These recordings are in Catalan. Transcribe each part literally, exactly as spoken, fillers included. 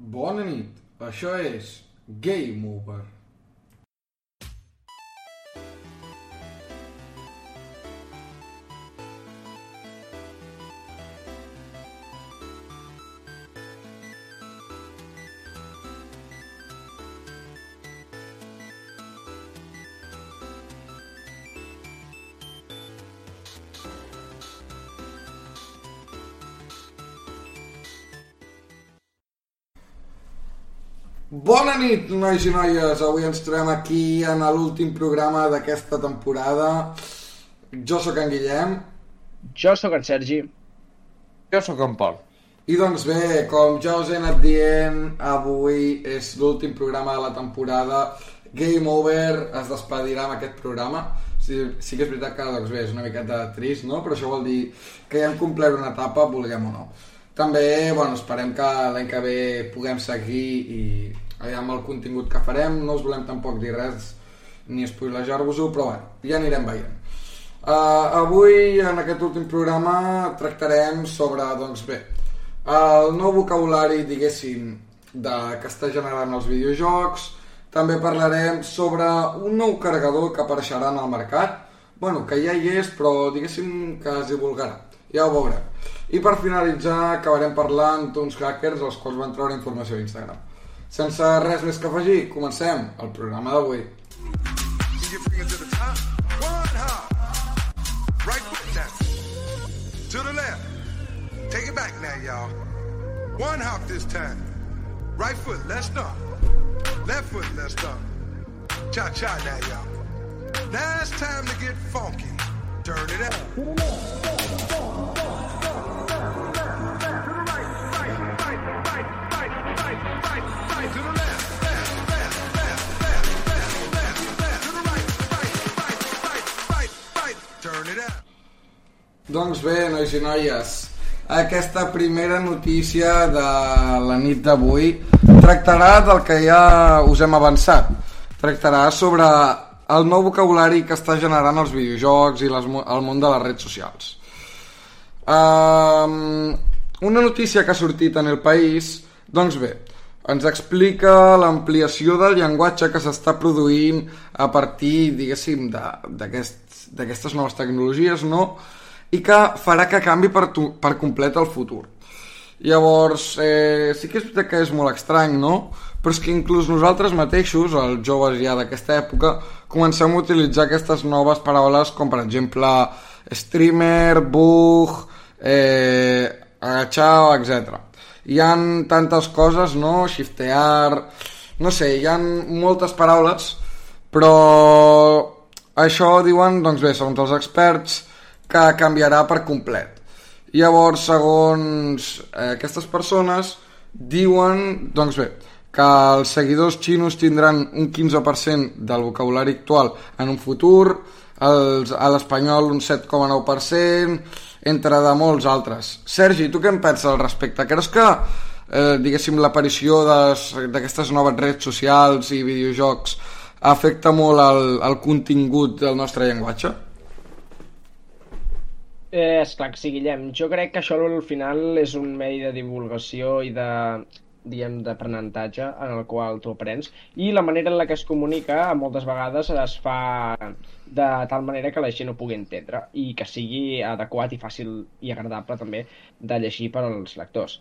Bona nit, això és Game Over. Bona nit, nois i noies. Avui ens trobem aquí en l'últim programa d'aquesta temporada. Jo sóc en Guillem. Jo sóc en Sergi. Jo sóc en Pol. I doncs bé, com ja us he anat dient, avui és l'últim programa de la temporada. Game Over es despedirà amb aquest programa. Sí, sí que és veritat que doncs bé, és una miqueta trist, no? Però això vol dir que ja hem complert una etapa, vulguem o no. També, bueno, esperem que l'any que ve puguem seguir i amb el contingut que farem. No us volem tampoc dir res ni spoilejar-vos-ho, però bueno, ja anirem veient. Uh, avui, en aquest últim programa, tractarem sobre, doncs bé, el nou vocabulari, diguéssim, de, que està generant els videojocs. També parlarem sobre un nou carregador que apareixerà en el mercat. Bueno, que ja hi és, però diguéssim que es divulgarà. Ja ho veurem. I per finalitzar acabarem parlant d'uns hackers els quals van treure informació a Instagram. Sense res més que afegir, comencem el programa d'avui. Turn it up. Doncs bé, nois i noies, aquesta primera notícia de la nit d'avui tractarà del que ja us hem avançat. Tractarà sobre el nou vocabulari que està generant els videojocs i les, el món de les redes socials. Um, una notícia que ha sortit en El País, doncs bé, ens explica l'ampliació del llenguatge que s'està produint a partir, diguéssim, d'aquestes aquest, noves tecnologies, no? I que farà que canvi per, tu, per complet el futur. Llavors, eh, sí que és veritat que és molt estrany, no? Però és que inclús nosaltres mateixos, els joves ja d'aquesta època, comencem a utilitzar aquestes noves paraules com, per exemple, streamer, bug, eh, agachar, etcètera. Hi ha tantes coses, no? Shiftear, no sé, hi ha moltes paraules, però això diuen, doncs bé, segons els experts, que canviarà per complet. Llavors, segons eh, aquestes persones, diuen, doncs bé, que els seguidors xinos tindran un quinze per cent del vocabulari actual en un futur, els, a l'espanyol un set coma nou per cent, entre de molts altres. Sergi, tu què en penses al respecte? Creus que, eh, diguéssim, l'aparició d'aquestes noves redes socials i videojocs afecta molt el, el contingut del nostre llenguatge? Eh, esclar que sí, Guillem. Jo crec que això al final és un medi de divulgació i de, diguem, d'aprenentatge en el qual tu aprens, i la manera en la que es comunica moltes vegades es fa de tal manera que la gent ho pugui entendre i que sigui adequat i fàcil i agradable també de llegir per als lectors.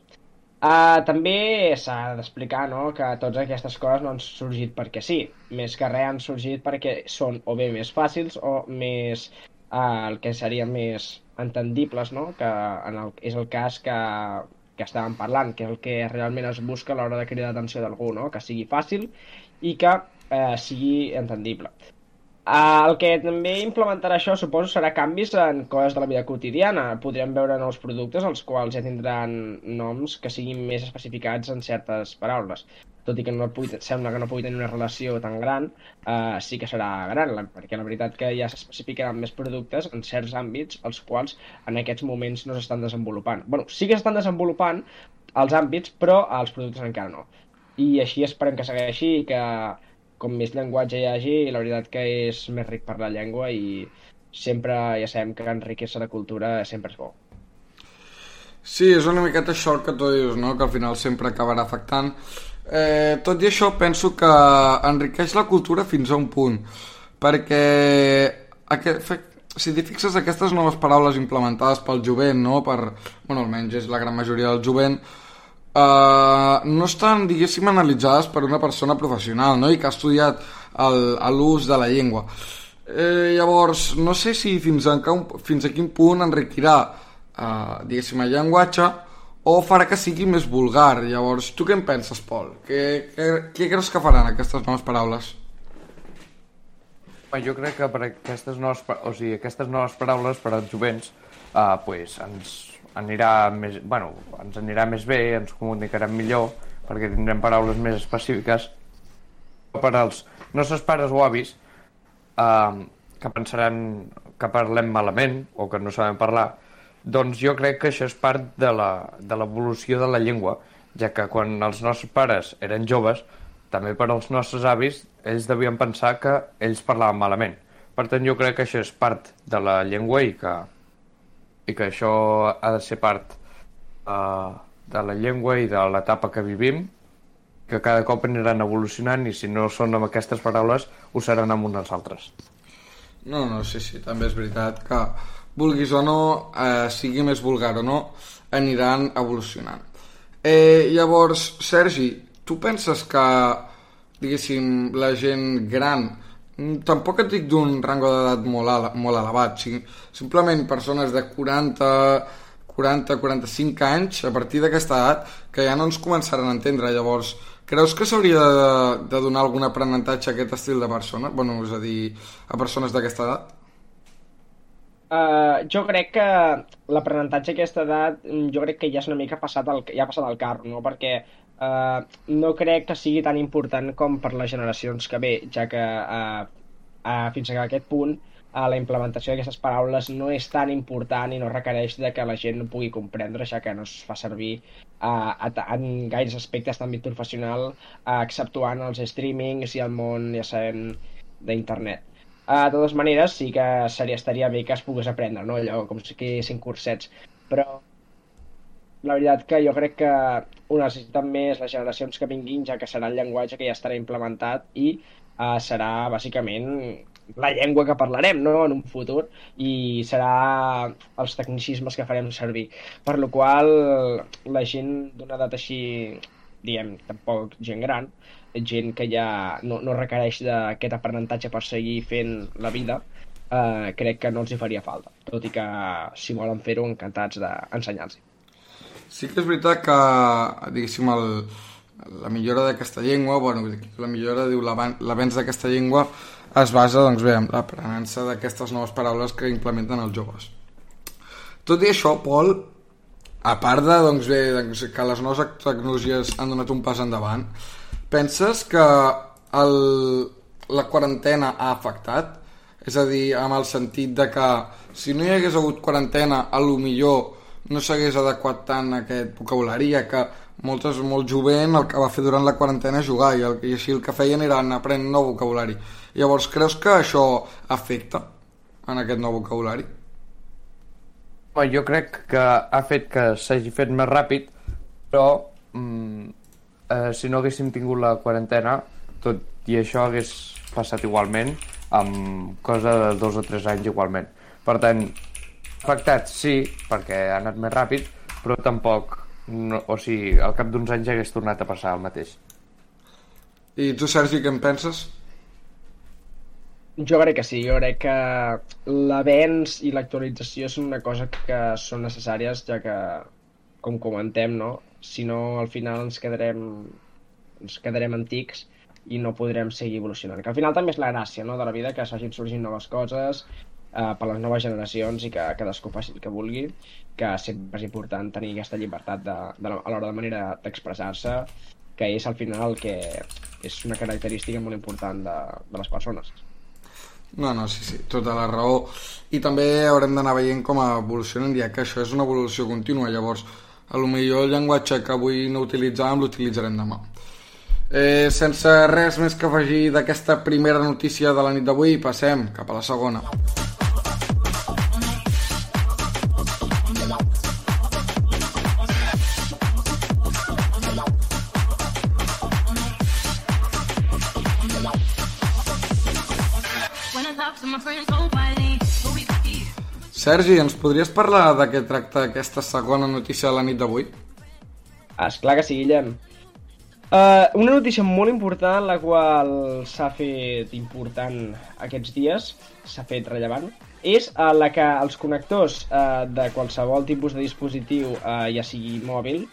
Uh, també s'ha d'explicar, no?, que totes aquestes coses no han sorgit perquè sí, més que res han sorgit perquè són o bé més fàcils o més uh, el que seria més entendibles, no?, que en el, és el cas que, que estàvem parlant, que és el que realment es busca a l'hora de cridar l'atenció d'algú, no?, que sigui fàcil i que eh, sigui entendible. Uh, el que també implementarà això, suposo, serà canvis en coses de la vida quotidiana. Podrem veure nous productes els quals ja tindran noms que siguin més especificats en certes paraules. Tot i que no pugui, sembla que no pugui tenir una relació tan gran, uh, sí que serà gran, perquè la veritat que ja s'especificaran més productes en certs àmbits els quals en aquests moments no s'estan desenvolupant. Bueno, sí que s'estan desenvolupant els àmbits, però els productes encara no. I així esperem que segueixi i que com més llenguatge hi hagi, la veritat que és més ric per la llengua i sempre ja sabem que enriquir-se la cultura sempre és bo. Sí, és una miqueta això el que tu dius, no? Que al final sempre acabarà afectant. Eh, tot i això, penso que enriqueix la cultura fins a un punt, perquè aquest, si t'hi fixes, aquestes noves paraules implementades pel jovent, no? Per, bueno, almenys és la gran majoria del jovent, eh, no estan, diguéssim, analitzades per una persona professional, no? I que ha estudiat l'ús de la llengua. Eh, llavors, no sé si fins a, fins a quin punt enriquirà, eh, diguéssim, el llenguatge, o farà que sigui més vulgar. Llavors, tu què en penses, Pol? Què, què, què creus que faran aquestes noves paraules? Jo crec que per aquestes noves, o sigui, aquestes noves paraules per als jovents eh, pues, ens, anirà més, bueno, ens anirà més bé, ens comunicarem millor, perquè tindrem paraules més específiques. Per als nostres pares o avis, eh, que pensaran que parlem malament o que no sabem parlar, doncs jo crec que això és part de l'evolució de la llengua, ja que quan els nostres pares eren joves, també per als nostres avis, ells devien pensar que ells parlaven malament. Per tant, jo crec que això és part de la llengua i que, i que això ha de ser part uh, de la llengua i de l'etapa que vivim, que cada cop aniran evolucionant i si no són amb aquestes paraules, ho seran amb unes altres. No, no, sí, sí, també és veritat que vulguis o no, eh, sigui més vulgar o no, aniran evolucionant. Eh, llavors, Sergi, tu penses que, diguéssim, la gent gran, tampoc et dic d'un rango d'edat molt, ele molt elevat, sí? Simplement persones de quaranta, quaranta, quaranta-cinc anys, a partir d'aquesta edat, que ja no ens començaran a entendre. Llavors, creus que s'hauria de, de donar algun aprenentatge a aquest estil de persona? Bueno, és a dir, a persones d'aquesta edat? Uh, jo crec que l'aprenentatge a aquesta edat, jo crec que ja és una mica passat el, ja ha passat el carro, no? Perquè uh, no crec que sigui tan important com per les generacions que ve, ja que uh, uh, fins a aquest punt uh, la implementació d'aquestes paraules no és tan important i no requereix de que la gent no pugui comprendre, ja que no es fa servir uh, en gaires aspectes d'àmbit professional, uh, exceptuant els streamings i el món, ja sabem, d'internet. Uh, de totes maneres, sí que seria, estaria bé que es pogués aprendre, no? Allò, com si fossin cursets. Però la veritat que jo crec que ho necessiten més les generacions que vinguin, ja que serà el llenguatge que ja estarà implementat i uh, serà, bàsicament, la llengua que parlarem, no?, en un futur, i serà els tecnicismes que farem servir. Per la qual la gent d'una edat així, diguem, tampoc gent gran, gent que ja no, no requereix d'aquest aprenentatge per seguir fent la vida, eh, crec que no els hi faria falta, tot i que si volen fer-ho, encantats d'ensenyar-los. Sí que és veritat que, diguéssim, el, la millora d'aquesta llengua, bueno, la millora, diu, l'avenç d'aquesta llengua es basa, doncs bé, en l'aprenença d'aquestes noves paraules que implementen els joves. Tot i això, Pol, a part de, doncs bé, doncs, que les noves tecnologies han donat un pas endavant, penses que el, la quarantena ha afectat? És a dir, amb el sentit de que si no hi hagués hagut quarantena, a lo millor no s'hagués adequat tant aquest vocabulari, ja que moltes, molt jovent el que va fer durant la quarantena és jugar, i, el, i així el que feien era anar aprenent nou vocabulari. Llavors, creus que això afecta en aquest nou vocabulari? Jo crec que ha fet que s'hagi fet més ràpid, però mm, eh, si no haguéssim tingut la quarantena, tot i això hagués passat igualment, amb cosa de dos o tres anys igualment. Per tant, afectat sí, perquè ha anat més ràpid, però tampoc, no, o sigui, al cap d'uns anys hagués tornat a passar el mateix. I tu, Sergi, què en penses? Jo crec que sí, jo crec que l'avenç i l'actualització és una cosa que són necessàries, ja que, com comentem, no? Si no, al final ens quedarem, ens quedarem antics i no podrem seguir evolucionant. Que al final també és la gràcia, no?, de la vida, que s'hagin sorgint noves coses eh, per les noves generacions i que cadascú faci el que vulgui, que sempre és important tenir aquesta llibertat de, de, a l'hora de manera d'expressar-se, que és al final que és una característica molt important de, de les persones. No, no, sí, sí, tota la raó. I també haurem d'anar veient com evolucionen, ja que això és una evolució contínua. Llavors, a lo millor el llenguatge que avui no utilitzàvem l'utilitzarem demà. Eh, sense res més que afegir d'aquesta primera notícia de la nit d'avui, passem cap a la segona. Sergi, ens podries parlar de què tracta aquesta segona notícia de la nit d'avui? Esclar que sí, Guillem. Uh, una notícia molt important, la qual s'ha fet important aquests dies, s'ha fet rellevant, és uh, la que els connectors uh, de qualsevol tipus de dispositiu, uh, ja sigui mòbil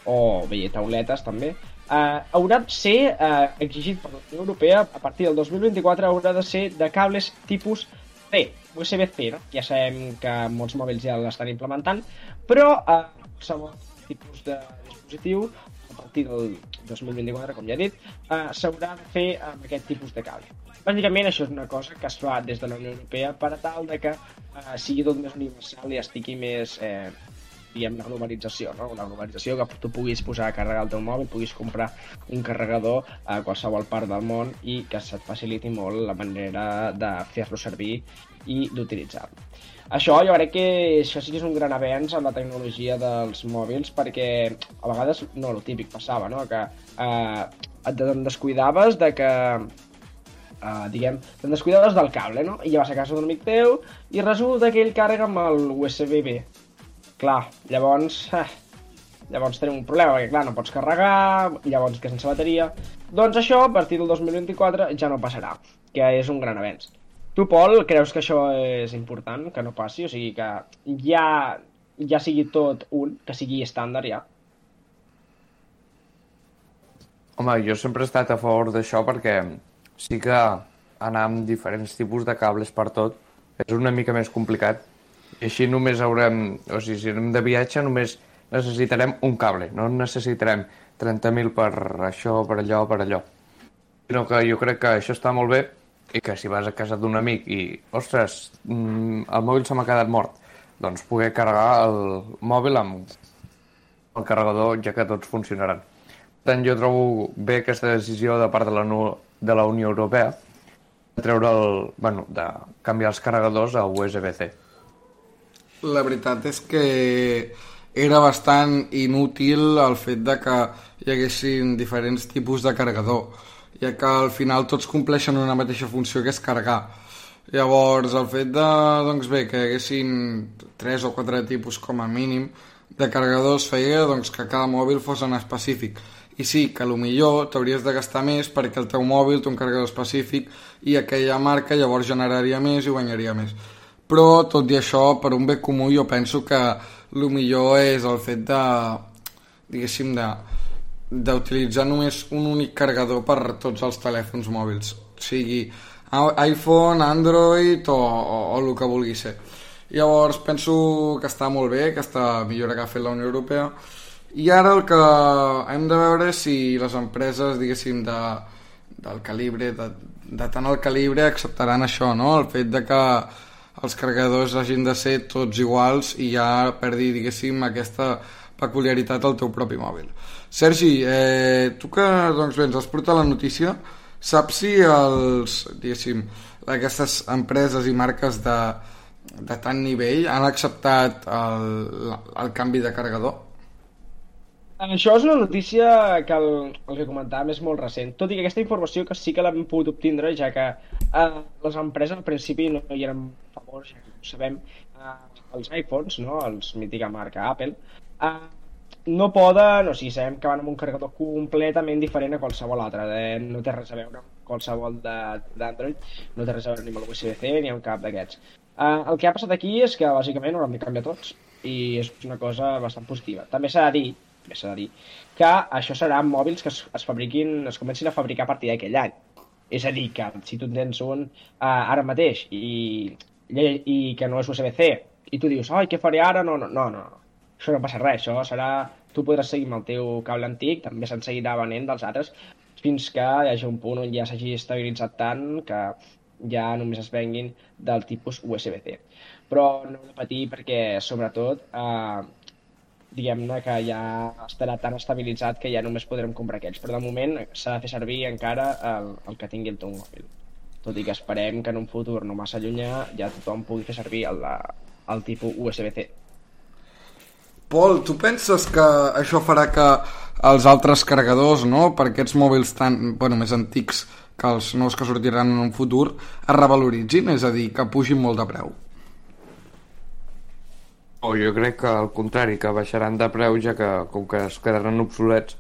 o bé tauletes també, uh, haurà de ser uh, exigit per la Unió Europea a partir del dos mil vint-i-quatre, haurà de ser de cables tipus C, U S B C, no? Ja sabem que molts mòbils ja l'estan implementant, però uh, qualsevol tipus de dispositiu a partir del dos mil vint-i-quatre, com ja he dit, uh, s'haurà de fer amb aquest tipus de cable. Bàsicament això és una cosa que es fa des de la Unió Europea per a tal de que uh, sigui tot més universal i estigui més, eh, diguem, la globalització, no? La globalització que tu puguis posar a carregar el teu mòbil, puguis comprar un carregador a qualsevol part del món i que se't faciliti molt la manera de fer-lo servir i d'utilitzar-lo. Això jo crec que això sí que és un gran avenç en la tecnologia dels mòbils, perquè a vegades, no, el típic passava, no? Que eh, et descuidaves de que, eh, diguem, te'n descuidaves del cable, no? I ja vas a casa d'un amic teu i resulta que ell carrega amb el U S B B. Clar, llavors, eh, llavors tenim un problema, perquè clar, no pots carregar, llavors que sense bateria. Doncs això, a partir del dos mil vint-i-quatre, ja no passarà, que és un gran avenç. Tu, Pol, creus que això és important, que no passi? O sigui, que ja, ja sigui tot un, que sigui estàndard ja? Home, jo sempre he estat a favor d'això perquè sí que anar amb diferents tipus de cables per tot és una mica més complicat. I així només haurem... O sigui, si anem de viatge només necessitarem un cable, no necessitarem trenta mil per això, per allò, per allò. Sinó que jo crec que això està molt bé i que si vas a casa d'un amic i, ostres, el mòbil se m'ha quedat mort, doncs poder carregar el mòbil amb el carregador, ja que tots funcionaran. Per tant, jo trobo bé aquesta decisió de part de la, de la Unió Europea de treure el, bueno, de canviar els carregadors a U S B C. La veritat és que era bastant inútil el fet de que hi haguessin diferents tipus de carregador, ja que al final tots compleixen una mateixa funció, que és carregar. Llavors, el fet de, doncs bé, que hi haguessin tres o quatre tipus com a mínim de carregadors feia doncs, que cada mòbil fos en específic. I sí, que potser t'hauries de gastar més perquè el teu mòbil té un carregador específic i aquella marca llavors generaria més i guanyaria més. Però, tot i això, per un bé comú, jo penso que el millor és el fet de, diguéssim, de d'utilitzar només un únic carregador per tots els telèfons mòbils, sigui iPhone, Android o, o, o el que vulgui ser. Llavors penso que està molt bé aquesta millora que ha fet la Unió Europea, i ara el que hem de veure és si les empreses, diguéssim, de, del calibre, de, de tant el calibre acceptaran això, no? El fet de que els carregadors hagin de ser tots iguals i ja perdi, diguéssim, aquesta peculiaritat al teu propi mòbil. Sergi, eh, tu que doncs bé, ens has portat la notícia, saps si els, diguéssim, aquestes empreses i marques de, de tant nivell han acceptat el, el canvi de carregador? Això és una notícia que el, el que comentàvem és molt recent, tot i que aquesta informació que sí que l'hem pogut obtindre, ja que eh, les empreses al principi no hi eren a favor, ja que ho sabem, eh, els iPhones, no? Els mítica marca Apple, eh, no poden, o sigui, sabem que van amb un carregador completament diferent a qualsevol altre, eh? No té res a veure amb qualsevol d'Android, no té res a veure ni amb el U S B C ni amb cap d'aquests. Eh, el que ha passat aquí és que bàsicament hauran de canviar tots i és una cosa bastant positiva. També s'ha de dir, també s'ha de dir que això serà mòbils que es, es fabriquin, es comencin a fabricar a partir d'aquell any. És a dir, que si tu tens un eh, ara mateix i, i, i que no és U S B C i tu dius, ai, què faré ara? No, no, no, no. Això no passa res, això serà... Tu podràs seguir amb el teu cable antic, també se'n seguirà venent dels altres, fins que hi hagi un punt on ja s'hagi estabilitzat tant que ja només es venguin del tipus U S B C. Però no heu de patir perquè, sobretot, eh, diguem-ne que ja estarà tan estabilitzat que ja només podrem comprar aquells. Però de moment s'ha de fer servir encara el, el que tingui el teu mòbil. Tot i que esperem que en un futur no massa llunyà ja tothom pugui fer servir el, el tipus U S B C. Pol, tu penses que això farà que els altres carregadors, no, per aquests mòbils tan, bueno, més antics, que els nous que sortiran en un futur es revaloritzin, és a dir, que pugin molt de preu. O jo crec que al contrari, que baixaran de preu, ja que com que es quedaran obsolets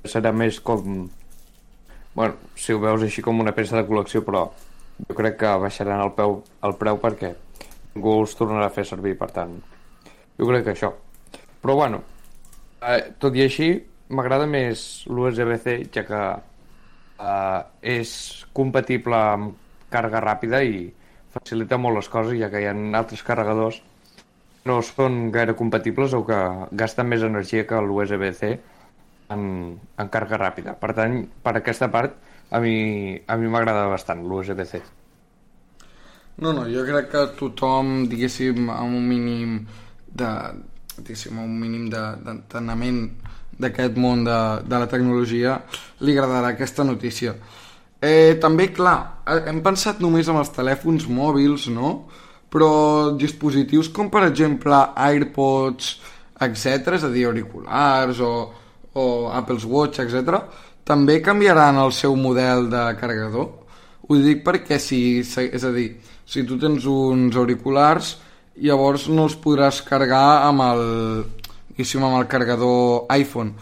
serà més com, bueno, si ho veus així com una peça de col·lecció, però jo crec que baixaran el preu, el preu perquè ningú els tornarà a fer servir, per tant jo crec que això. Però bueno, eh, tot i així m'agrada més l'U S B C, ja que eh, és compatible amb càrrega ràpida i facilita molt les coses, ja que hi ha altres carregadors no són gaire compatibles o que gasten més energia que l'U S B C en, en càrrega ràpida. Per tant, per aquesta part, a mi a mi m'agrada bastant l'U S B C. No, no, jo crec que tothom, diguéssim, amb un mínim de, diguéssim, un mínim d'enteniment d'aquest món de, de la tecnologia, li agradarà aquesta notícia. Eh, també, clar, hem pensat només en els telèfons mòbils, no?, però dispositius com per exemple AirPods, etcètera, és a dir, auriculars o, o Apple Watch, etcètera, també canviaran el seu model de carregador. Ho dic perquè si, és a dir, si tu tens uns auriculars, llavors no els podràs carregar amb el, diguéssim, amb el carregador iPhone.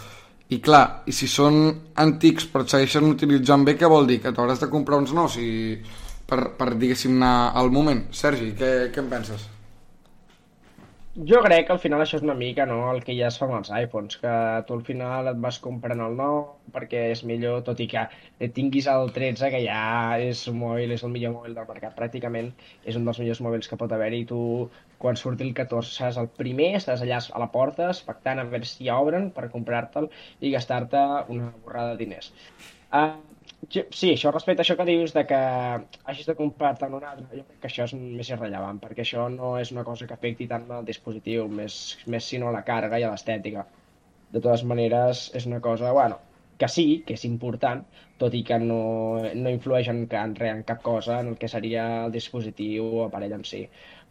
I clar, i si són antics però et segueixen utilitzant bé, què vol dir? Que t'hauràs de comprar uns nous i... per, per diguéssim, anar al moment. Sergi, què, què en penses? Jo crec que al final això és una mica, no?, el que ja es fa amb els iPhones, que tu al final et vas comprant el nou perquè és millor, tot i que tinguis el tretze, que ja és un mòbil, és el millor mòbil del mercat, pràcticament és un dels millors mòbils que pot haver-hi, i tu quan surti el catorze seràs el primer, estàs allà a la porta expectant a veure si ja obren per comprar-te'l i gastar-te una borrada de diners. Uh, Sí, això respecte a això que dius de que hagis de comprar-te un altre, jo crec que això és més irrellevant, perquè això no és una cosa que afecti tant al dispositiu, més, més sinó a la càrrega i a l'estètica. De totes maneres, és una cosa, bueno, que sí, que és important, tot i que no, no influeix en, en, en cap cosa en el que seria el dispositiu o aparell en si,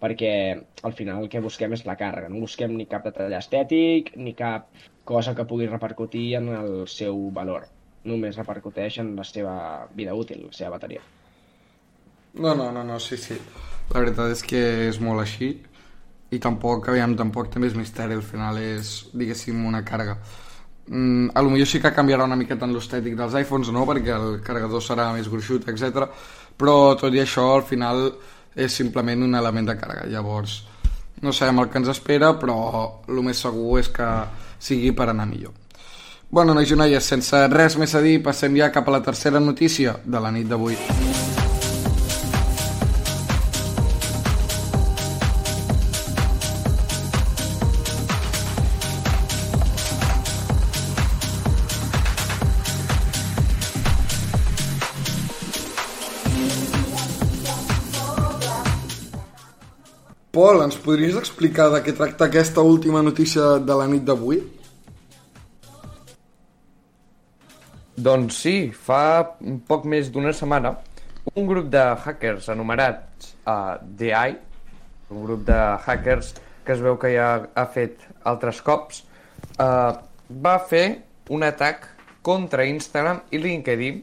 perquè al final el que busquem és la càrrega, no busquem ni cap detall estètic, ni cap cosa que pugui repercutir en el seu valor. Només repercuteix en la seva vida útil, la seva bateria. No, no, no, no, sí, sí. La veritat és que és molt així i tampoc, aviam, tampoc té més misteri, al final és, diguéssim, una càrrega. Mm, a lo millor sí que canviarà una miqueta en l'estètic dels iPhones, no?, perquè el carregador serà més gruixut, etcètera. Però tot i això, al final, és simplement un element de càrrega. Llavors, no sabem el que ens espera, però el més segur és que sigui per anar millor. Bueno, nois i noies, sense res més a dir, passem ja cap a la tercera notícia de la nit d'avui. Pol, ens podries explicar de què tracta aquesta última notícia de la nit d'avui? Doncs sí, fa un poc més d'una setmana un grup de hackers anomenats uh, D I, un grup de hackers que es veu que ja ha fet altres cops, uh, va fer un atac contra Instagram i LinkedIn,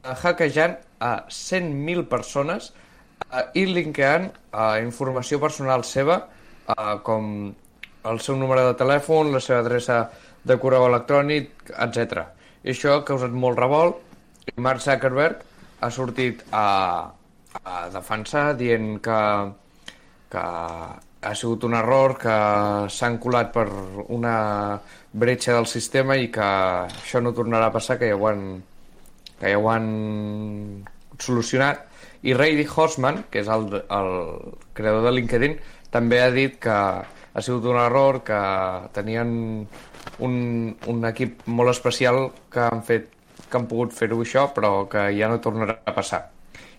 uh, hackejant a cent mil persones uh, i linkejant uh, informació personal seva, uh, com el seu número de telèfon, la seva adreça de correu electrònic, etcètera. I això ha causat molt revolt i Mark Zuckerberg ha sortit a, a defensar dient que, que ha sigut un error, que s'han colat per una bretxa del sistema i que això no tornarà a passar, que ja ho han, que ja ho han solucionat. I Reid Hoffman, que és el, el creador de LinkedIn, també ha dit que ha sigut un error, que tenien un, un equip molt especial que han fet, que han pogut fer-ho això, però que ja no tornarà a passar.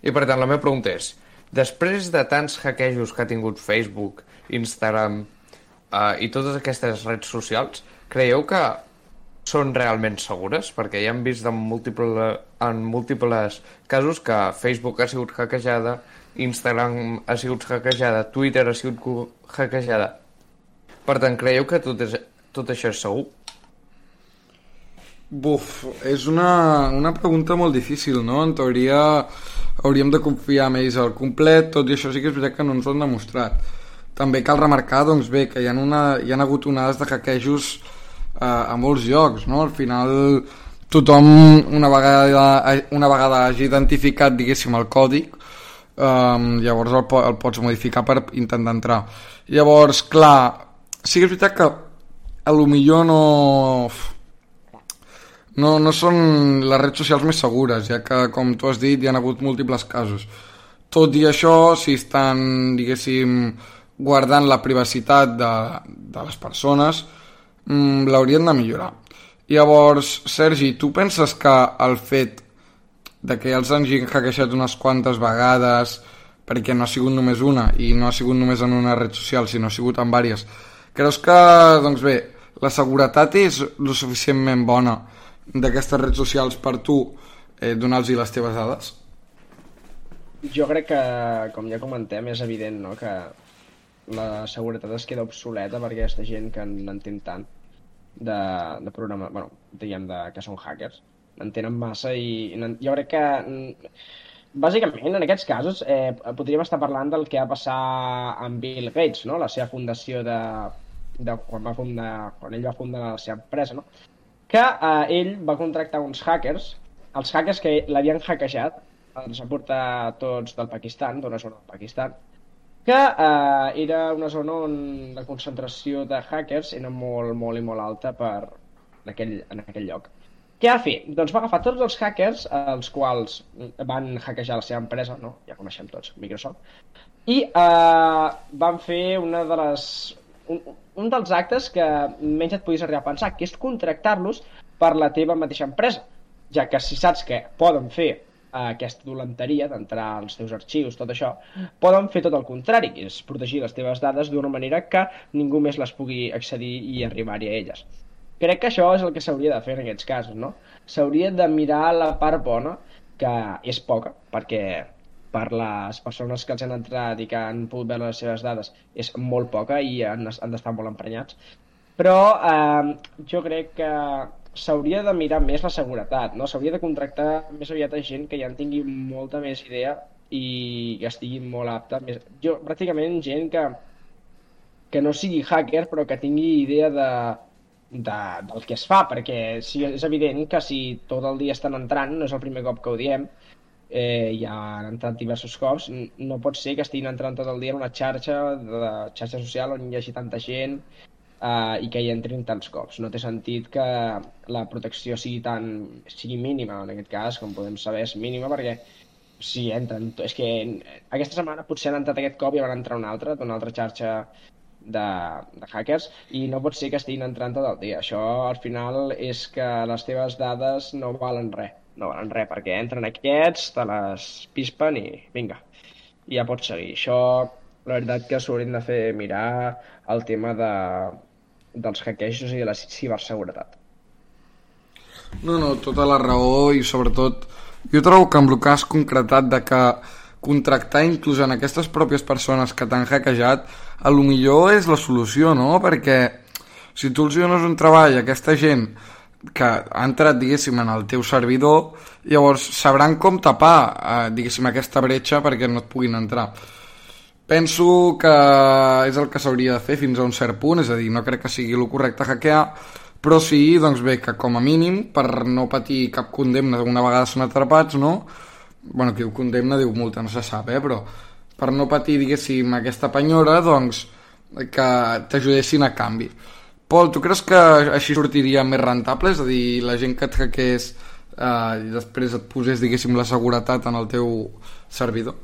I per tant la meva pregunta és, després de tants hackejos que ha tingut Facebook, Instagram eh, i totes aquestes redes socials, creieu que són realment segures? Perquè ja hem vist en, múltiple, en múltiples casos que Facebook ha sigut hackejada, Instagram ha sigut hackejada, Twitter ha sigut hackejada. Per tant, creieu que tot, és, tot això és segur? Buf, és una, una pregunta molt difícil, no? En teoria hauríem de confiar en ells al complet, tot i això sí que és veritat que no ens ho han demostrat. També cal remarcar, doncs bé, que hi ha, una, hi ha hagut onades de hackejos eh, a molts llocs, no? Al final tothom una vegada, una vegada hagi identificat, diguéssim, el codi, eh, llavors el, el pots modificar per intentar entrar. Llavors, clar, sí que és veritat que a lo millor no... No, no són les redes socials més segures, ja que, com tu has dit, hi ha hagut múltiples casos. Tot i això, si estan, diguéssim, guardant la privacitat de, de les persones, mmm, l'haurien de millorar. Llavors, Sergi, tu penses que el fet de que els hagin hackejat unes quantes vegades, perquè no ha sigut només una, i no ha sigut només en una red social, sinó ha sigut en diverses, creus que, doncs bé, la seguretat és lo suficientment bona d'aquestes redes socials per tu eh, donar-los les teves dades? Jo crec que, com ja comentem, és evident, no?, que la seguretat es queda obsoleta per aquesta gent que n'entén tant de, de programa, bueno, diguem de, que són hackers, n'entenen massa i, i jo crec que bàsicament en aquests casos eh, podríem estar parlant del que va passar amb Bill Gates, no?, la seva fundació de, de quan, va fundar, quan ell va fundar la seva empresa, no?, que eh, ell va contractar uns hackers, els hackers que l'havien hackejat, els va portar tots del Pakistan, d'una zona del Pakistan, que eh, era una zona on la concentració de hackers era molt, molt i molt alta per, en, aquell, en aquell lloc. Què va fer? Doncs va agafar tots els hackers, els quals van hackejar la seva empresa, no? Ja coneixem tots, Microsoft, i eh, van fer una de les... Un, un dels actes que menys et podies arribar a pensar, que és contractar-los per la teva mateixa empresa, ja que si saps que poden fer eh, aquesta dolenteria d'entrar als teus arxius, tot això, poden fer tot el contrari, que és protegir les teves dades d'una manera que ningú més les pugui accedir i arribar-hi a elles. Crec que això és el que s'hauria de fer en aquests casos, no? S'hauria de mirar la part bona, que és poca, perquè per les persones que els han entrat i que han pogut veure les seves dades és molt poca i han, han d'estar molt emprenyats, però eh, jo crec que s'hauria de mirar més la seguretat, no? S'hauria de contractar més aviat a gent que ja en tingui molta més idea i que estigui molt apta, més... jo pràcticament gent que, que no sigui hacker però que tingui idea de, de, del que es fa, perquè si, és evident que si tot el dia estan entrant, no és el primer cop que ho diem, Eh, ja han entrat diversos cops, no pot ser que estiguin entrant tot el dia en una xarxa de xarxa social on hi hagi tanta gent eh, i que hi entrin tants cops. No té sentit que la protecció sigui tan sigui mínima, en aquest cas, com podem saber, és mínima, perquè si entren... És que aquesta setmana potser han entrat aquest cop i van entrar una altra, d'una altra xarxa de, de hackers, i no pot ser que estiguin entrant tot el dia. Això, al final, és que les teves dades no valen res. No valen res, perquè entren aquests, te les pispen i vinga, i ja pots seguir. Això, la veritat que s'haurien de fer mirar el tema de, dels hackejos i de la ciberseguretat. No, no, tota la raó, i sobretot jo trobo que amb el cas concretat de que contractar inclús en aquestes pròpies persones que t'han hackejat a lo millor és la solució, no? Perquè si tu els dones un treball a aquesta gent que ha entrat, diguéssim, en el teu servidor, llavors sabran com tapar, eh, diguéssim, aquesta bretxa perquè no et puguin entrar. Penso que és el que s'hauria de fer fins a un cert punt, és a dir, no crec que sigui el correcte hackear, però sí, doncs bé, que com a mínim, per no patir cap condemna una vegada són atrapats, no? Bueno, qui ho condemna diu multa, no se sap, eh? Però per no patir, diguéssim, aquesta penyora, doncs, que t'ajudessin a canvi. Pol, tu creus que així sortiria més rentable? És a dir, la gent que et hackeés eh, i després et posés, diguéssim, la seguretat en el teu servidor?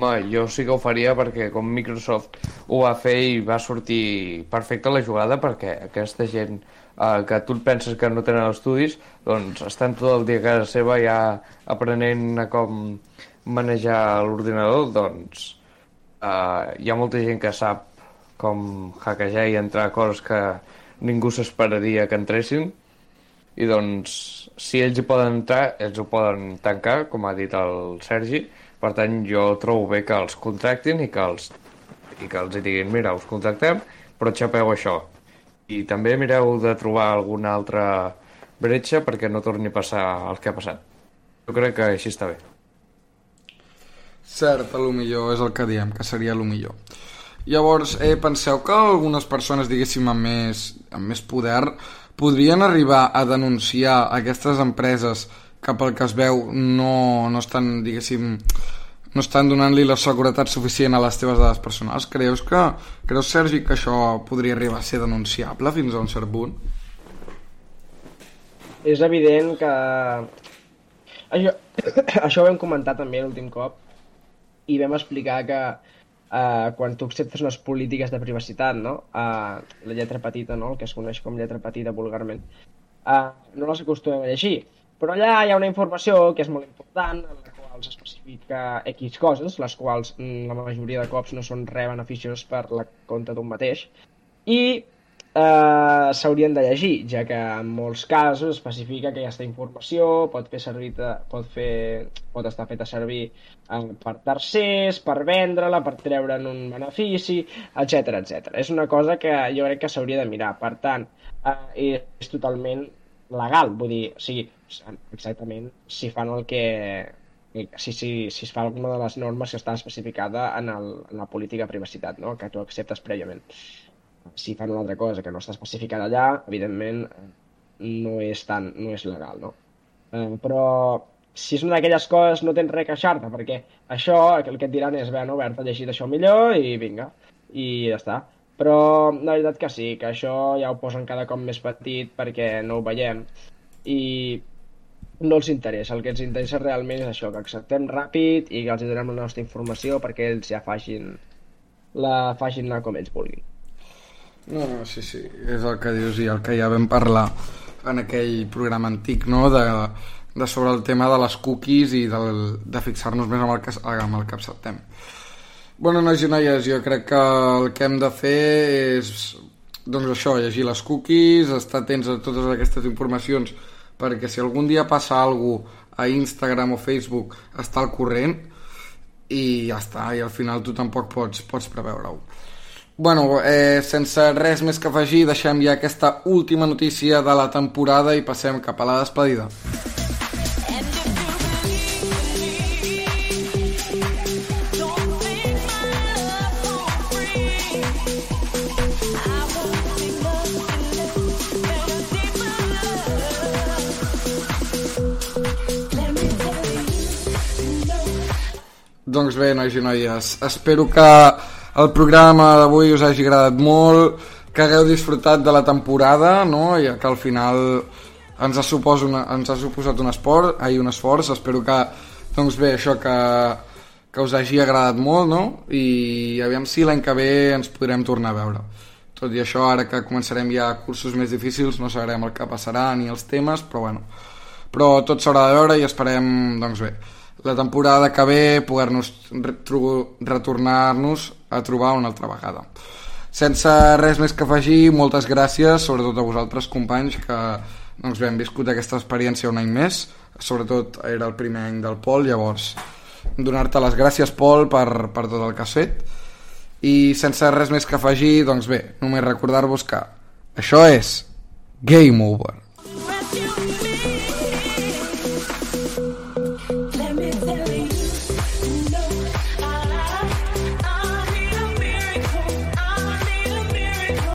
Home, jo sí que ho faria perquè com Microsoft ho va fer i va sortir perfecta la jugada, perquè aquesta gent eh, que tu penses que no tenen estudis, doncs estan tot el dia a casa seva ja aprenent a com manejar l'ordinador, doncs eh, hi ha molta gent que sap com hackejar i entrar a coses que ningú s'esperaria que entressin, i doncs si ells hi poden entrar, ells ho poden tancar, com ha dit el Sergi. Per tant, jo trobo bé que els contractin i que els, i que els hi diguin, mira, us contractem, però xapeu això. I també mireu de trobar alguna altra bretxa perquè no torni a passar el que ha passat. Jo crec que així està bé. Cert, a lo millor és el que diem, que seria a lo millor. Llavors, eh, penseu que algunes persones, diguéssim, amb més, amb més poder podrien arribar a denunciar aquestes empreses que pel que es veu no, no estan, diguéssim, no estan donant-li la seguretat suficient a les teves dades personals? Creus que, creus, Sergi, que això podria arribar a ser denunciable fins a un cert punt? És evident que... Això, això ho vam comentar també l'últim cop i vam explicar que uh, quan tu acceptes unes polítiques de privacitat, no? Uh, la lletra petita, no? El que es coneix com lletra petita vulgarment, uh, no les acostumem a llegir. Però allà hi ha una informació que és molt important, en la qual s'especifica X coses, les quals la majoria de cops no són res beneficioses per la compte d'un mateix, i eh, s'haurien de llegir, ja que en molts casos especifica que aquesta informació pot fer servir, pot, fer, pot estar feta servir eh, per tercers, per vendre-la, per treure'n un benefici, etcètera, etcètera. És una cosa que jo crec que s'hauria de mirar. Per tant, eh, és totalment legal, vull dir, o sigui, exactament si fan el que... Si, si, si es fa alguna de les normes que està especificada en, el, en la política de privacitat, no? Que tu acceptes prèviament. Si fan una altra cosa que no està especificada allà, evidentment no és, tan, no és legal, no? Eh, però si és una d'aquelles coses no tens res a queixar-te, perquè això el que et diran és, bueno, Bert, ha llegit això millor i vinga, i ja està. Però la veritat que sí, que això ja ho posen cada cop més petit perquè no ho veiem i no els interessa. El que els interessa realment és això, que acceptem ràpid i que els donem la nostra informació perquè ells ja facin la facin anar com ells vulguin. No, no, sí, sí, és el que dius i el que ja vam parlar en aquell programa antic, no?, de, de sobre el tema de les cookies i del, de fixar-nos més amb el que, amb el que acceptem. Bueno, nois i noies, jo crec que el que hem de fer és, doncs això, llegir les cookies, estar atents a totes aquestes informacions, perquè si algun dia passa alguna cosa a Instagram o Facebook, està al corrent i ja està, i al final tu tampoc pots, pots preveure-ho. Bueno, eh, sense res més que afegir, deixem ja aquesta última notícia de la temporada i passem cap a la despedida. Doncs bé, nois i noies, espero que el programa d'avui us hagi agradat molt, que hagueu disfrutat de la temporada, no? I que al final ens ha, supos una, ens ha suposat un esport, ai, un esforç. Espero que, doncs bé, això que, que us hagi agradat molt, no? I aviam si l'any que ve ens podrem tornar a veure. Tot i això, ara que començarem ja cursos més difícils, no sabrem el que passarà ni els temes, però bueno. Però tot s'haurà de veure i esperem, doncs bé, la temporada que ve poder-nos retornar-nos a trobar una altra vegada. Sense res més que afegir, moltes gràcies, sobretot a vosaltres, companys, que doncs bé, hem viscut aquesta experiència un any més. Sobretot era el primer any del Pol, llavors donar-te les gràcies, Pol, per, per tot el que has fet. I sense res més que afegir, doncs bé, només recordar-vos que això és Game Over.